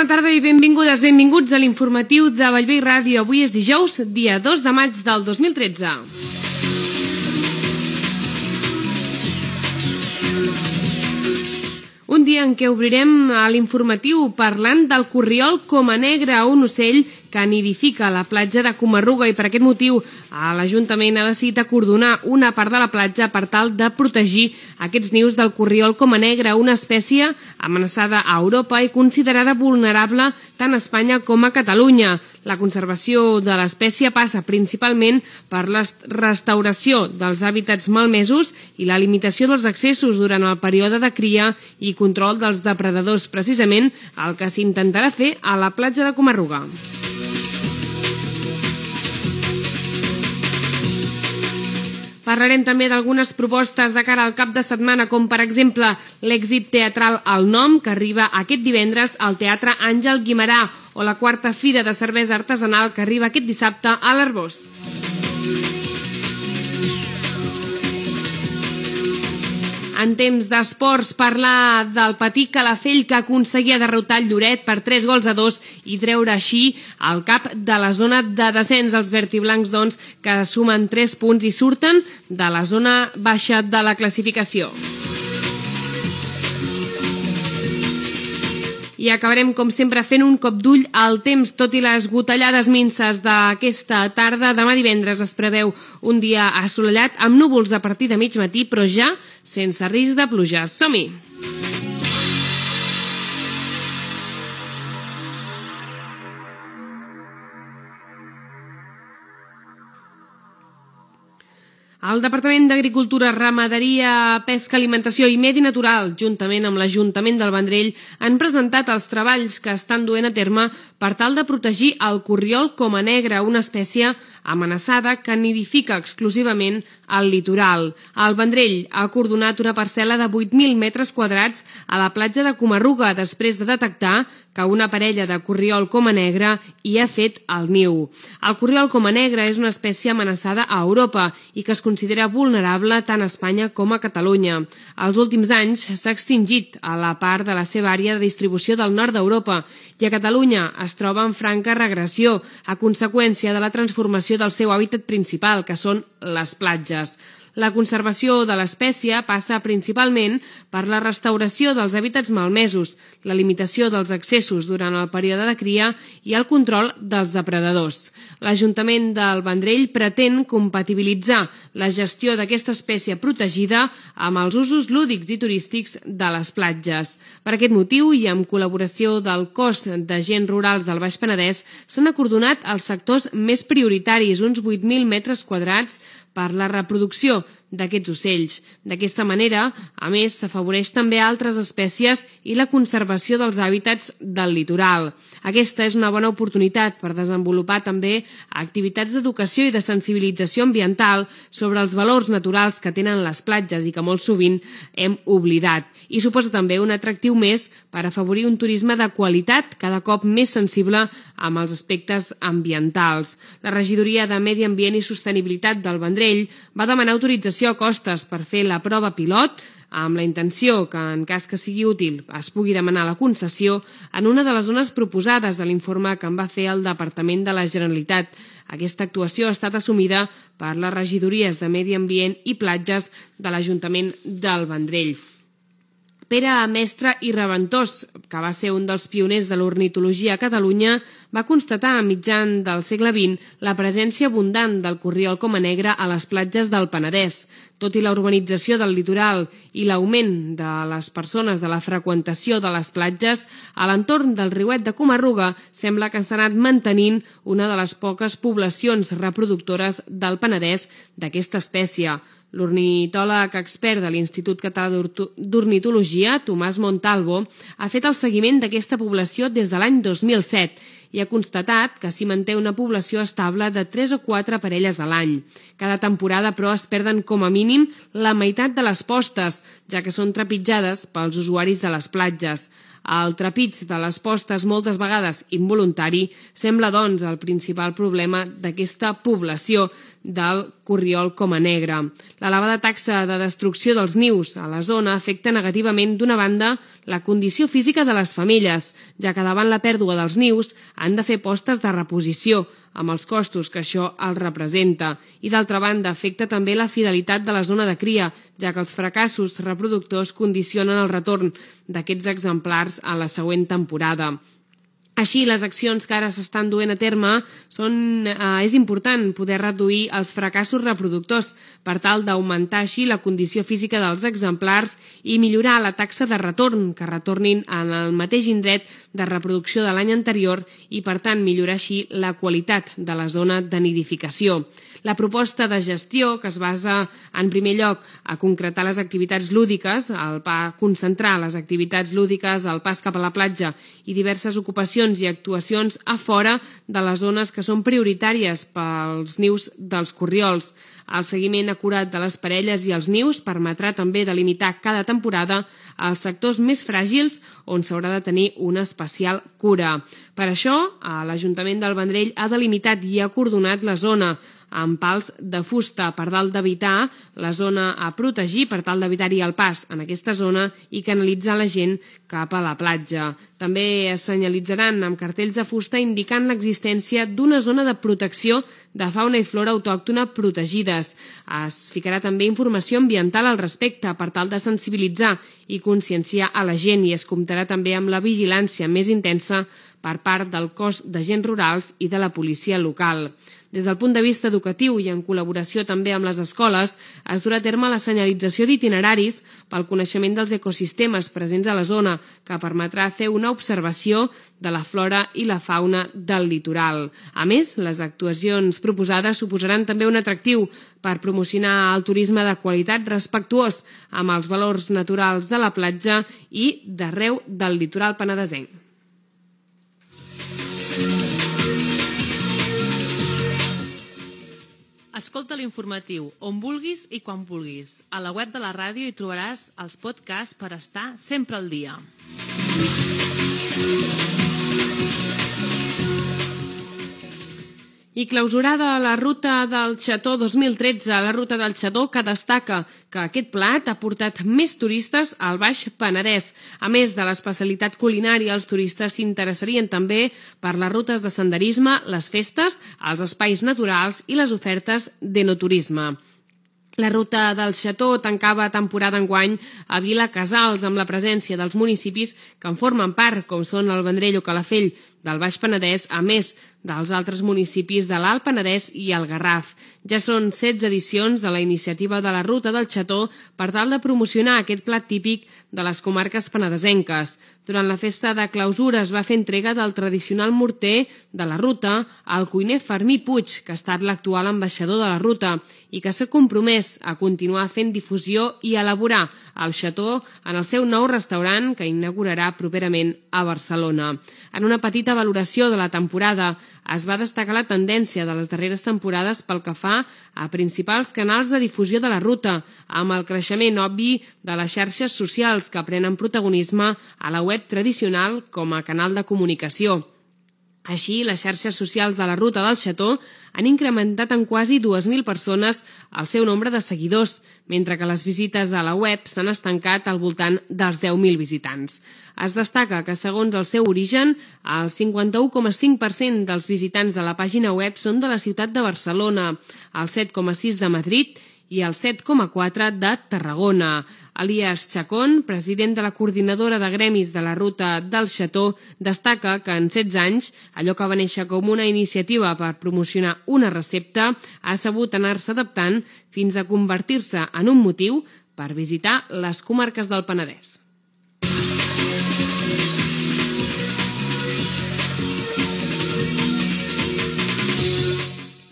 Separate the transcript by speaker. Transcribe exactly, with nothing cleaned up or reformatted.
Speaker 1: bona tarda i benvingudes, benvinguts a l'informatiu de Bellvei Ràdio. Avui és dijous, dia dos de maig del dos mil tretze. Un dia en què obrirem l'informatiu parlant del corriol coma negre, un ocell que nidifica a la platja de Coma-ruga, i per aquest motiu l'Ajuntament ha decidit acordonar una part de la platja per tal de protegir aquests nius del corriol coma negre, una espècie amenaçada a Europa i considerada vulnerable tant a Espanya com a Catalunya. La conservació de l'espècie passa principalment per la restauració dels hàbitats malmesos i la limitació dels accessos durant el període de cria i control dels depredadors, precisament el que s'intentarà fer a la platja de Coma-ruga. Parlarem també d'algunes propostes de cara al cap de setmana, com per exemple l'èxit teatral El Nom, que arriba aquest divendres al Teatre Àngel Guimerà, o la quarta Fira de Cervesa Artesanal, que arriba aquest dissabte a l'Arboç. En temps d'esports, parlar del Patí Calafell, que aconseguia derrotar el Lloret per tres gols a dos i treure així el cap de la zona de descens. Els vertiblancs, doncs, que sumen tres punts i surten de la zona baixa de la classificació. I acabarem, com sempre, fent un cop d'ull al temps. Tot i les gotellades minses d'aquesta tarda, demà divendres es preveu un dia assolellat amb núvols a partir de mig matí, però ja sense risc de pluja. Som-hi! El Departament d'Agricultura, Ramaderia, Pesca, Alimentació i Medi Natural, juntament amb l'Ajuntament del Vendrell, han presentat els treballs que estan duent a terme per tal de protegir el corriol coma negre, una espècie amenaçada que nidifica exclusivament al litoral. El Vendrell ha acordonat una parcel·la de vuit mil metres quadrats a la platja de Coma-ruga després de detectar que una parella de corriol coma negre hi ha fet el niu. El corriol coma negre és una espècie amenaçada a Europa i que es considera vulnerable tant a Espanya com a Catalunya. Els últims anys s'ha extingit a la part de la seva àrea de distribució del nord d'Europa i a Catalunya es troba en franca regressió a conseqüència de la transformació del seu hàbitat principal, que són les platges. La conservació de l'espècie passa principalment per la restauració dels hàbitats malmesos, la limitació dels accessos durant el període de cria i el control dels depredadors. L'Ajuntament del Vendrell pretén compatibilitzar la gestió d'aquesta espècie protegida amb els usos lúdics i turístics de les platges. Per aquest motiu, i amb col·laboració del Cos d'Agents Rurals del Baix Penedès, s'han acordonat els sectors més prioritaris, uns vuit mil metres quadrats, per la reproducció d'aquests ocells. D'aquesta manera, a més, s'afavoreix també altres espècies i la conservació dels hàbitats del litoral. Aquesta és una bona oportunitat per desenvolupar també activitats d'educació i de sensibilització ambiental sobre els valors naturals que tenen les platges i que molt sovint hem oblidat. I suposa també un atractiu més per afavorir un turisme de qualitat cada cop més sensible amb els aspectes ambientals. La Regidoria de Medi Ambient i Sostenibilitat del Vendrell va demanar autorització a Costes per fer la prova pilot amb la intenció que, en cas que sigui útil, es pugui demanar la concessió en una de les zones proposades de l'informe que en va fer el Departament de la Generalitat. Aquesta actuació ha estat assumida per les regidories de Medi Ambient i Platges de l'Ajuntament del Vendrell. Pere Mestre i Reventós, que va ser un dels pioners de l'ornitologia a Catalunya, va constatar a mitjan del segle vint la presència abundant del corriol coma negre a les platges del Penedès. Tot i la urbanització del litoral i l'augment de les persones de la freqüentació de les platges, a l'entorn del riuet de Coma-ruga sembla que s'ha anat mantenint una de les poques poblacions reproductores del Penedès d'aquesta espècie. L'ornitòleg expert de l'Institut Català d'Ornitologia, Tomàs Montalvo, ha fet el seguiment d'aquesta població des de l'any dos mil set i ha constatat que s'hi manté una població estable de tres o quatre parelles a l'any. Cada temporada, però, es perden com a mínim la meitat de les postes, ja que són trepitjades pels usuaris de les platges. El trepig de les postes, moltes vegades involuntari, sembla, doncs, el principal problema d'aquesta població. del corriol coma negre. L'elevada taxa de destrucció dels nius a la zona afecta negativament, d'una banda, la condició física de les femelles, ja que davant la pèrdua dels nius han de fer postes de reposició, amb els costos que això els representa. I d'altra banda, afecta també la fidelitat de la zona de cria, ja que els fracassos reproductors condicionen el retorn d'aquests exemplars a la següent temporada. Així, les accions que ara s'estan duent a terme són, eh, és important poder reduir els fracassos reproductors per tal d'augmentar així la condició física dels exemplars i millorar la taxa de retorn, que retornin en el mateix indret de reproducció de l'any anterior i, per tant, millorar així la qualitat de la zona de nidificació. La proposta de gestió, que es basa, en primer lloc, a concretar les activitats lúdiques, a concentrar les activitats lúdiques, el pas cap a la platja i diverses ocupacions i actuacions a fora de les zones que són prioritàries pels nius dels corriols. El seguiment acurat de les parelles i els nius permetrà també delimitar cada temporada els sectors més fràgils on s'haurà de tenir una especial cura. Per això, l'Ajuntament del Vendrell ha delimitat i ha acordonat la zona amb pals de fusta per tal d'evitar la zona a protegir, per tal d'evitar-hi el pas en aquesta zona i canalitzar la gent cap a la platja. També es senyalitzaran amb cartells de fusta indicant l'existència d'una zona de protecció de fauna i flora autòctona protegides. Es ficarà també informació ambiental al respecte per tal de sensibilitzar i conscienciar a la gent i es comptarà també amb la vigilància més intensa per part del cos d'agents rurals i de la policia local. Des del punt de vista educatiu i en col·laboració també amb les escoles, es durà a terme la senyalització d'itineraris pel coneixement dels ecosistemes presents a la zona, que permetrà fer una observació de la flora i la fauna del litoral. A més, les actuacions proposades suposaran també un atractiu per promocionar el turisme de qualitat respectuós amb els valors naturals de la platja i d'arreu del litoral penedesenc.
Speaker 2: Escolta l'informatiu on vulguis i quan vulguis. A la web de la ràdio hi trobaràs els podcasts per estar sempre al dia.
Speaker 1: I clausurada la ruta del Xató dos mil tretze, la ruta del Xató, que destaca que aquest plat ha portat més turistes al Baix Penedès. A més de l'especialitat culinària, els turistes s'interessarien també per les rutes de senderisme, les festes, els espais naturals i les ofertes d'enoturisme. La ruta del Xató tancava temporada enguany a Vilacsals amb la presència dels municipis que en formen part, com són el Vendrell o Calafell del Baix Penedès, a més dels altres municipis de l'Alt Penedès i el Garraf. Ja són setze edicions de la iniciativa de la Ruta del Xató per tal de promocionar aquest plat típic de les comarques penedesenques. Durant la festa de clausura es va fer entrega del tradicional morter de la ruta al cuiner Fermí Puig, que ha estat l'actual ambaixador de la ruta i que s'ha compromès a continuar fent difusió i elaborar el xató en el seu nou restaurant que inaugurarà properament a Barcelona. En una petita valoració de la temporada es va destacar la tendència de les darreres temporades pel que fa a principals canals de difusió de la ruta, amb el creixement obvi de les xarxes socials que prenen protagonisme a la web tradicional com a canal de comunicació. Així, les xarxes socials de la Ruta del Xató han incrementat en quasi dues mil persones el seu nombre de seguidors, mentre que les visites a la web s'han estancat al voltant dels deu mil visitants. Es destaca que, segons el seu origen, el cinquanta-u coma cinc per cent dels visitants de la pàgina web són de la ciutat de Barcelona, el set coma sis per cent de Madrid i el set coma quatre per cent de Tarragona. Elias Chacón, president de la coordinadora de gremis de la Ruta del Xató, destaca que en setze anys, allò que va néixer com una iniciativa per promocionar una recepta ha sabut anar-se adaptant fins a convertir-se en un motiu per visitar les comarques del Penedès.